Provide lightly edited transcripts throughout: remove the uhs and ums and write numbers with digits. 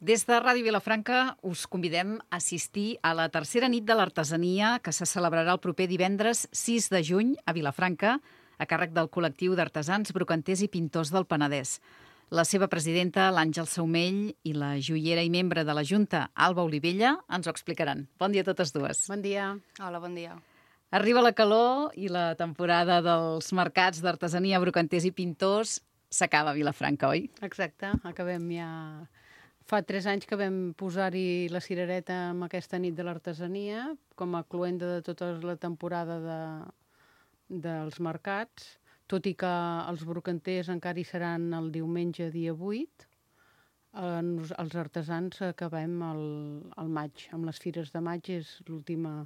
Des de Ràdio Vilafranca us convidem a assistir a la tercera nit de l'artesania que se celebrarà el proper divendres 6 de juny a Vilafranca, a càrrec del col·lectiu d'artesans, brocanters i pintors del Penedès. La seva presidenta, l'Àngel Saumell, i la joiera i membre de la Junta, Alba Olivella, ens ho explicaran. Bon dia a totes dues. Bon dia. Hola, bon dia. Arriba la calor i la temporada dels mercats d'artesania, brocanters i pintors s'acaba a Vilafranca, oi? Exacte, acabem ja... Fa 3 anys que vam posar-hi la cirereta amb aquesta nit de l'artesania, com a cloenda de tota la temporada dels mercats, tot i que els brocanters encara hi seran el diumenge dia 8, els artesans acabem al maig, amb les fires de maig és l'última.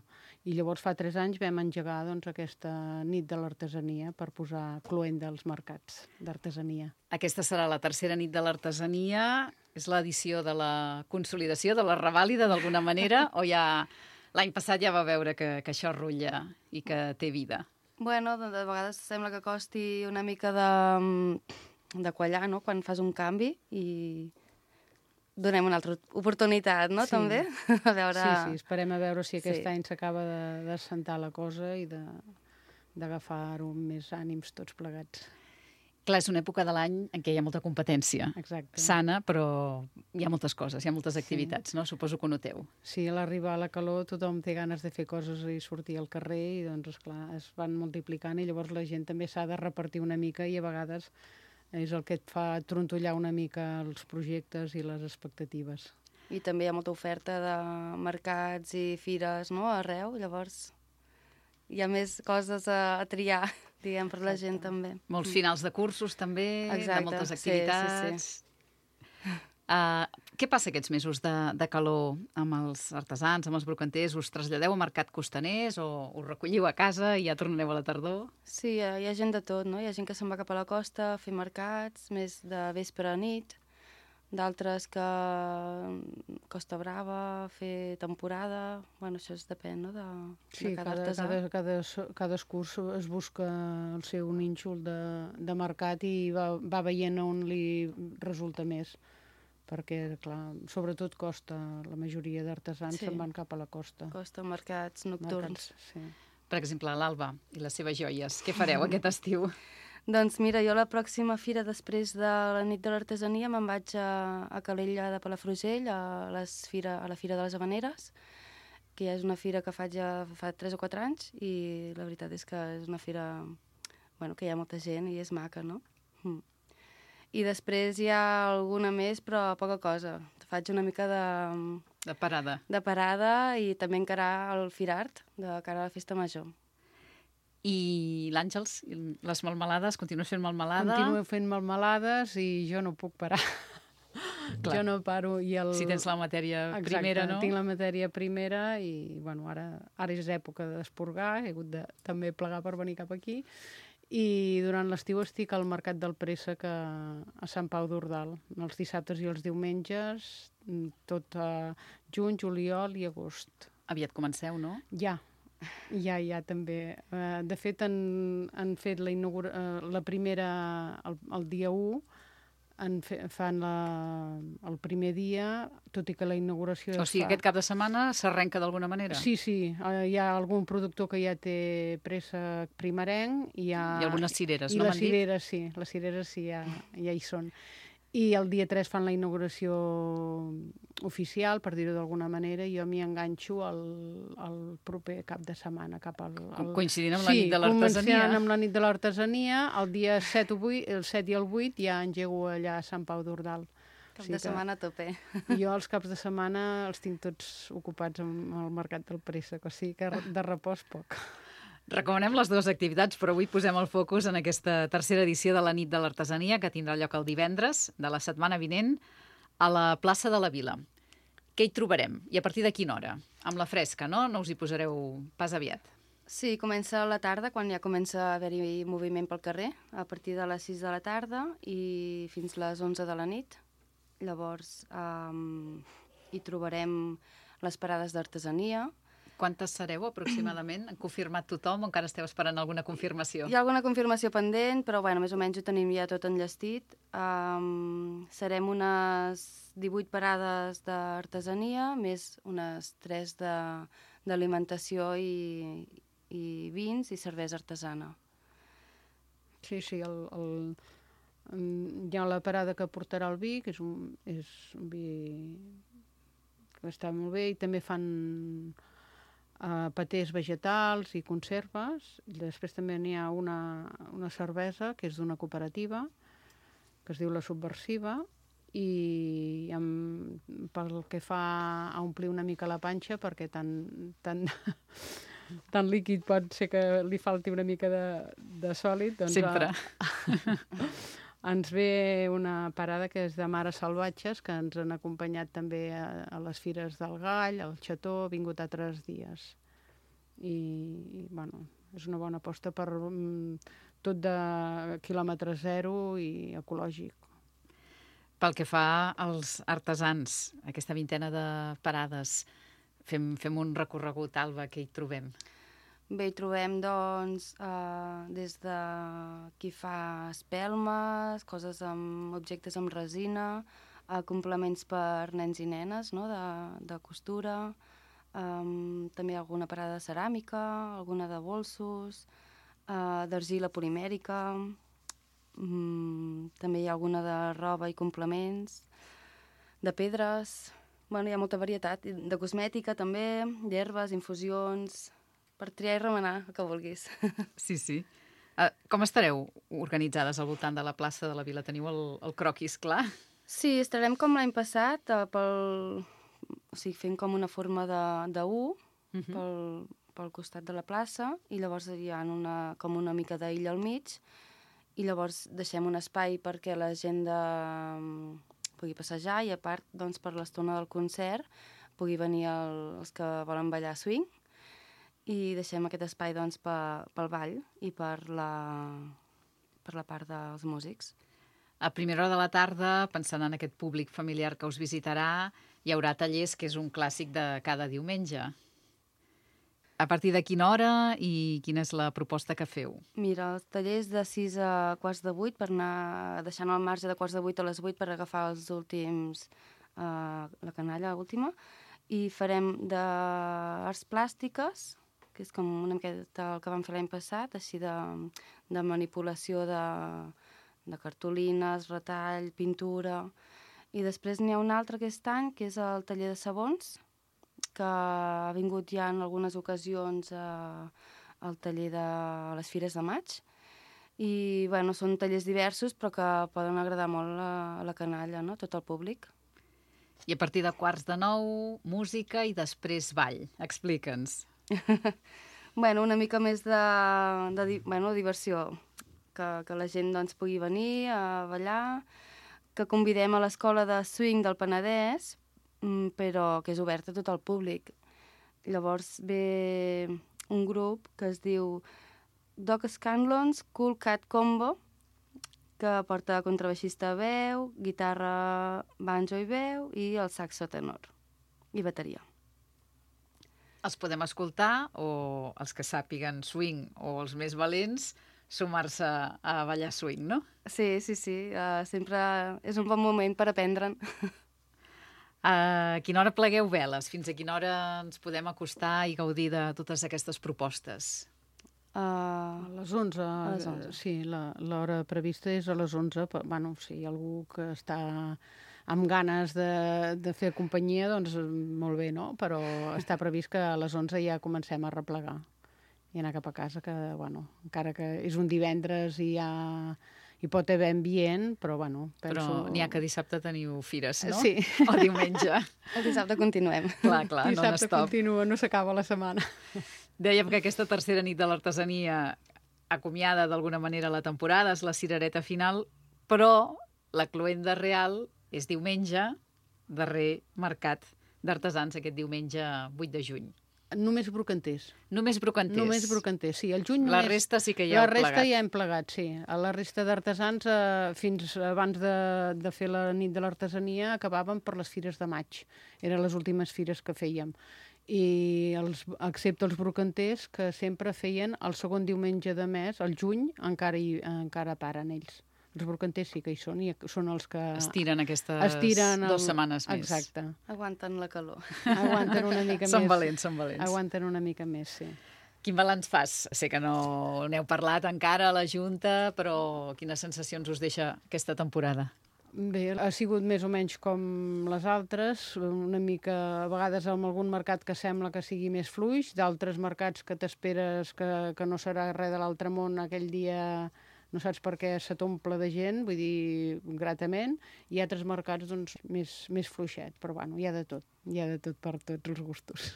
I llavors fa 3 anys vam engegar aquesta nit de l'artesania per posar cloenda als mercats d'artesania. Aquesta serà la tercera nit de l'artesania. És l'edició de la consolidació, de la revàlida, d'alguna manera? O ja l'any passat ja va veure que això rutlla i que té vida? Bueno, de vegades sembla que costi una mica de quallar, no?, quan fas un canvi i donem una altra oportunitat, no?, sí. També. A veure... Sí, esperem a veure si aquest any s'acaba d'assentar la cosa i d'agafar-ho amb més ànims tots plegats. Clar, és una època de l'any en què hi ha molta competència. Exacte. Sana, però hi ha moltes coses, hi ha moltes activitats, no? Suposo que ho noteu. Sí, a l'arribar a la calor tothom té ganes de fer coses i sortir al carrer i, doncs, esclar, es van multiplicant i llavors la gent també s'ha de repartir una mica i a vegades és el que et fa trontollar una mica els projectes i les expectatives. I també hi ha molta oferta de mercats i fires, no?, arreu, llavors hi ha més coses a triar, diguem, per la gent també. Molts finals de cursos també, exacte, de moltes activitats. Sí. Què passa aquests mesos de calor amb els artesans, amb els brocanters? Us traslladeu a mercat costaners o us recolliu a casa i ja tornareu a la tardor? Sí, hi ha gent de tot, no? Hi ha gent que se'n va cap a la costa a fer mercats, més de vespre a nit, d'altres que Costa Brava, fer temporada... Bueno, això depèn, no?, de cada artesà. Cadascú es busca el seu nínxol de mercat i va veient on li resulta més. Perquè, clar, sobretot costa, la majoria d'artesans se'n van cap a la costa. Costa, mercats nocturns. Sí. Per exemple, l'Alba i les seves joies. Què fareu aquest estiu? Doncs mira, jo la pròxima fira després de la nit de l'artesania me'n vaig a Calella de Palafrugell, a la Fira de les Havaneres, que ja és una fira que faig ja fa 3 o 4 anys i la veritat és que és una fira que hi ha molta gent i és maca, no? I després hi ha alguna més, però poca cosa. Faig una mica de parada. De parada i també encarar el Firart, de cara a la Festa Major. I l'Àngels, les melmelades, continues fent melmelada? Continuo fent melmelades i jo no puc parar. Jo no paro. Si tens la matèria primera, no? Tinc la matèria primera i ara és època d'esporgar, he hagut de també plegar per venir cap aquí. I durant l'estiu estic al Mercat del Préssec a Sant Pau d'Ordal, els dissabtes i els diumenges, tot a juny, juliol i agost. Aviat comenceu, no? Ja, també. De fet, han fet la primera el dia 1, fan el primer dia, tot i que la inauguració... O sigui, aquest cap de setmana s'arrenca d'alguna manera? Sí, hi ha algun productor que ja té préssec primerenc. I algunes cireres, no m'han dit? Les cireres sí, ja hi són. I el dia 3 fan la inauguració oficial, per dir-ho d'alguna manera, i jo m'hi enganxo el proper cap de setmana. Coincidint amb la nit de l'artesania. Sí, començant amb la nit de l'artesania, el dia 7 i el 8 ja engego allà a Sant Pau d'Ordal. Cap de setmana a tope. Jo els caps de setmana els tinc tots ocupats amb el Mercat del Préssec, o sigui que de repòs poc. Recomanem les dues activitats, però avui posem el focus en aquesta tercera edició de la nit de l'artesania que tindrà lloc el divendres de la setmana vinent a la plaça de la Vila. Què hi trobarem? I a partir de quina hora? Amb la fresca, no? No us hi posareu pas aviat. Sí, comença a la tarda, quan ja comença a haver-hi moviment pel carrer, a partir de les 6 de la tarda i fins les 11 de la nit. Llavors hi trobarem les parades d'artesania. Quantes sereu, aproximadament? Han confirmat tothom o encara esteu esperant alguna confirmació? Hi ha alguna confirmació pendent, però bueno, més o menys ho tenim ja tot enllestit. Serem unes 18 parades d'artesania, més unes 3 d'alimentació i vins i cervesa artesana. Sí, hi ha la parada que portarà el vi, que és un vi que està molt bé, i també fan patès vegetals i conserves. Després també n'hi ha una cervesa que és d'una cooperativa que es diu La Subversiva, i pel que fa a omplir una mica la panxa, perquè tan líquid pot ser que li falti una mica de sòlid, doncs Sempre. ens ve una parada que és de Mares Salvatges, que ens han acompanyat també a les Fires del Gall, al Xató, ha vingut altres dies. I bueno, és una bona aposta per tot de quilòmetre zero i ecològic. Pel que fa als artesans, aquesta vintena de parades, fem un recorregut, Alba, que hi trobem. Bé, hi trobem, doncs, des de qui fa espelmes, coses amb objectes amb resina, complements per nens i nenes, no?, de costura, també alguna parada de ceràmica, alguna de bolsos, d'argila polimèrica, també hi ha alguna de roba i complements, de pedres. Bueno, hi ha molta varietat, de cosmètica també, d'herbes, infusions, per triar i remenar, el que vulguis. Sí, sí. Com estareu organitzades al voltant de la plaça de la Vila? Teniu el croquis clar? Sí, estarem com l'any passat, o sigui, fent com una forma de U pel costat de la plaça, i llavors hi ha com una mica d'illa al mig, i llavors deixem un espai perquè la gent pugui passejar, i a part, doncs, per l'estona del concert pugui venir els que volen ballar swing, i deixem aquest espai, doncs, pel ball i per la part dels músics. A primera hora de la tarda, pensant en aquest públic familiar que us visitarà, hi haurà tallers, que és un clàssic de cada diumenge. A partir de quina hora i quina és la proposta que feu? Mira, els tallers de 6 a quarts de 8, per anar deixant el marge de quarts de 8 a les 8 per agafar els últims, la canalla última, i farem d'arts plàstiques, que és com una miqueta el que vam fer l'any passat, així de manipulació de cartolines, retall, pintura. I després n'hi ha un altre aquest any, que és el taller de sabons, que ha vingut ja en algunes ocasions al taller de les Fires de Maig. I, bueno, són tallers diversos, però que poden agradar molt a la canalla, no?, tot el públic. I a partir de 8:45, música i després ball. Explica'ns. Bueno, una mica més de diversió, que la gent, doncs, pugui venir a ballar, que convidem a l'Escola de Swing del Penedès, però que és oberta a tot el públic. Llavors ve un grup que es diu Doc Scanlon's Cool Cat Combo, que porta contrabaixista a veu, guitarra, banjo i veu, i el saxo tenor i bateria. Els podem escoltar, o els que sàpiguen swing o els més valents, sumar-se a ballar swing, no? Sí. Sempre és un bon moment per aprendre'n. A quina hora plegueu veles? Fins a quina hora ens podem acostar i gaudir de totes aquestes propostes? A les 11. A les 11. Sí, l'hora prevista és a les 11. Bueno, si hi ha algú que està amb ganes de fer companyia, doncs molt bé, no? Però està previst que a les 11 ja comencem a replegar i anar cap a casa, que, bueno, encara que és un divendres i hi pot haver ambient, però, bueno, penso... Però n'hi ha que dissabte teniu fires, no? Sí. O diumenge. El dissabte continuem. Clar, no Dissabte n'estop. continua, no s'acaba la setmana. Dèiem que aquesta tercera nit de l'artesania acomiada d'alguna manera la temporada, és la cirereta final, però la cloenda real és diumenge, darrer mercat d'artesans, aquest diumenge 8 de juny. Només brocanters. Només brocanters. Només brocanters, sí. El juny La només... resta sí que ja heu plegat. La resta ja hem plegat, sí. A la resta d'artesans, fins abans de fer la nit de l'artesania, acabàvem per les fires de maig. Eren les últimes fires que fèiem. Excepte els brocanters, que sempre feien el segon diumenge de mes, el juny, encara paren ells. Els brocanters sí que hi són, i són els que... Estiren aquestes 2 setmanes més. Exacte. Aguanten la calor. Aguanten una mica més. Són valents. Aguanten una mica més, sí. Quin balanç fas? Sé que no n'heu parlat encara a la Junta, però quines sensacions us deixa aquesta temporada? Bé, ha sigut més o menys com les altres, una mica, a vegades amb algun mercat que sembla que sigui més fluix, d'altres mercats que t'esperes que no serà res de l'altre món aquell dia, no saps per què se t'omple de gent, vull dir, gratament, i altres mercats doncs, més fluixet, però bueno, hi ha de tot per tots els gustos.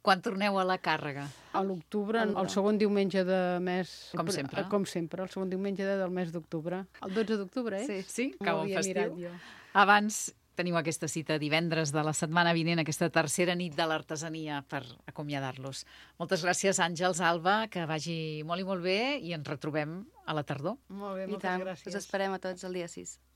Quan torneu a la càrrega? A l'octubre, el segon diumenge de mes... Com sempre. Com sempre, el segon diumenge del mes d'octubre. El 12 d'octubre, eh? Sí, cau en festiu. Jo. Abans teniu aquesta cita divendres de la setmana vinent, aquesta tercera nit de l'artesania per acomiadar-los. Moltes gràcies, Àngels, Alba, que vagi molt i molt bé i ens retrobem a la tardor. Molt bé, I moltes tant, gràcies. us esperem a tots el dia 6.